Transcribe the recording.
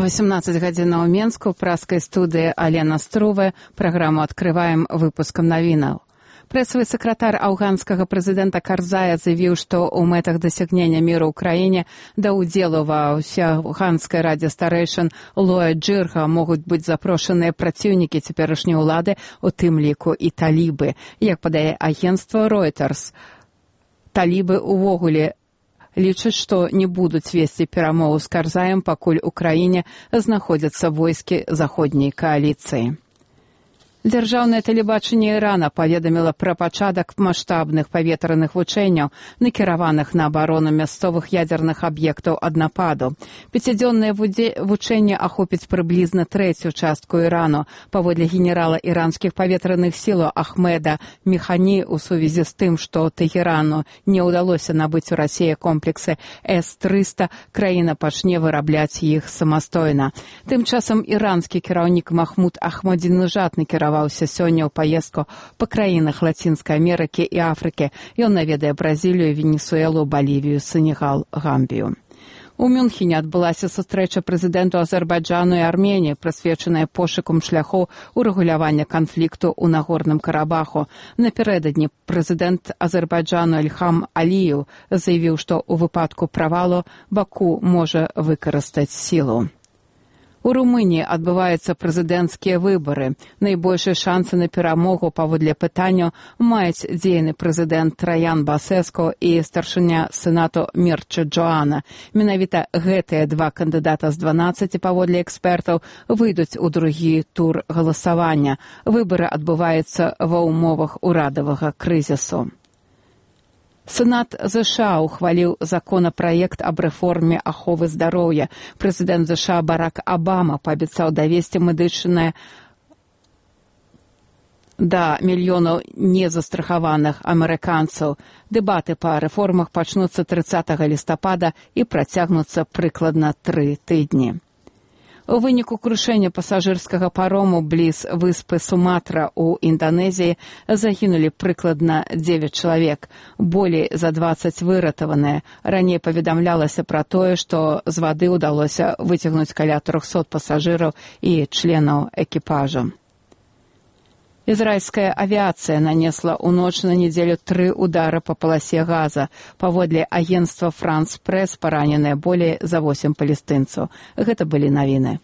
18 гадзінаў у Менску, праскай студыі Алена Струве. Праграму адкрываем выпускам навінаў. Прэсавы сакратар афганскага прэзідэнта Карзая заявіў, што ў мэтах дасягнення міру ў краіне да ўдзелу ва ўсеафганскай радзе старэйшын Лоя Джырга могуць быць запрошаныя праціўнікі цяперашняй улады, у тым ліку і талібы. Як падае агенцтва Reuters, талібы ўвогуле лічаць, што не будуць весці перамову з Карзаем, пакуль у краіне знаходзяцца войскі заходняй кааліцыі. Дзяржаўнае тэлебачанне Ірана паведаміла пра пачатак маштабных паветраных вучэнняў, накіраваных на абарону мясцовых ядзерных аб'ектаў ад нападу. Пяцідзённае вучэнне ахопіць прыблізна трэцюю частку Ірану. Паводле генерала іранскіх паветраных сілаў Ахмеда Механі, у сувязі з тым, што Тэхерану не ўдалося набыць у Расіі комплексы С-300, краіна пачне вырабляць іх самастойна. Тым часам іранскі кіраўнік Махмуд Ахмадзінежад накіраваўся сёння ў паездку па краінах Лацінскай Амерыкі і Афрыкі. Ён наведае Бразілію, Венесуэлу, Балівію, Сенегал, Гамбію. У Мюнхене адбылася сустрэча прэзідэнту Азербайджану і Арменіі, прысвечаная пошукам шляхоў урэгулявання канфлікту ў Нагорным Карабаху. Напярэдадні прэзідэнт Азербайджану Ільхам Аліеў заявіў, што ў выпадку правалу Баку можа выкарыстаць сілу. У Румыніі адбываюцца прэзідэнцкія выбары. Найбольшыя шансы на перамогу паводле пытанняў маюць дзейны прэзідэнт Траян Басэску і старшыня сенату Мірча Джоана. Менавіта гэтыя два кандыдата з 12, паводле экспертаў, выйдуць у другі тур галасавання. Выбары адбываюцца ва ўмовах урадавага крызісу. Сенат ЗША ухваліў законапраект аб рэформе аховы здароўя. Прэзідэнт ЗША Барак Абама паабяцаў давесці медычнае да мільёнаў незастрахаваных амерыканцаў. Дэбаты па рэформах пачнуцца 30 лістапада і працягнуцца прыкладна 3 тыдні. У выніку крушэння пасажырскага парому бліз выспы Суматра ў Інданезіі загінулі прыкладна 9 чалавек, болей за 20 выратаваныя. Раней паведамлялася пра тое, што з вады ўдалося выцягнуць каля 300 пасажыраў і членаў экіпажа. Ізраільская авіацыя нанесла ў ноч на нядзелю 3 удары па паласе Газа. Паводле агенцтва France Press параненыя болей за 8 палестынцаў. Гэта былі навіны.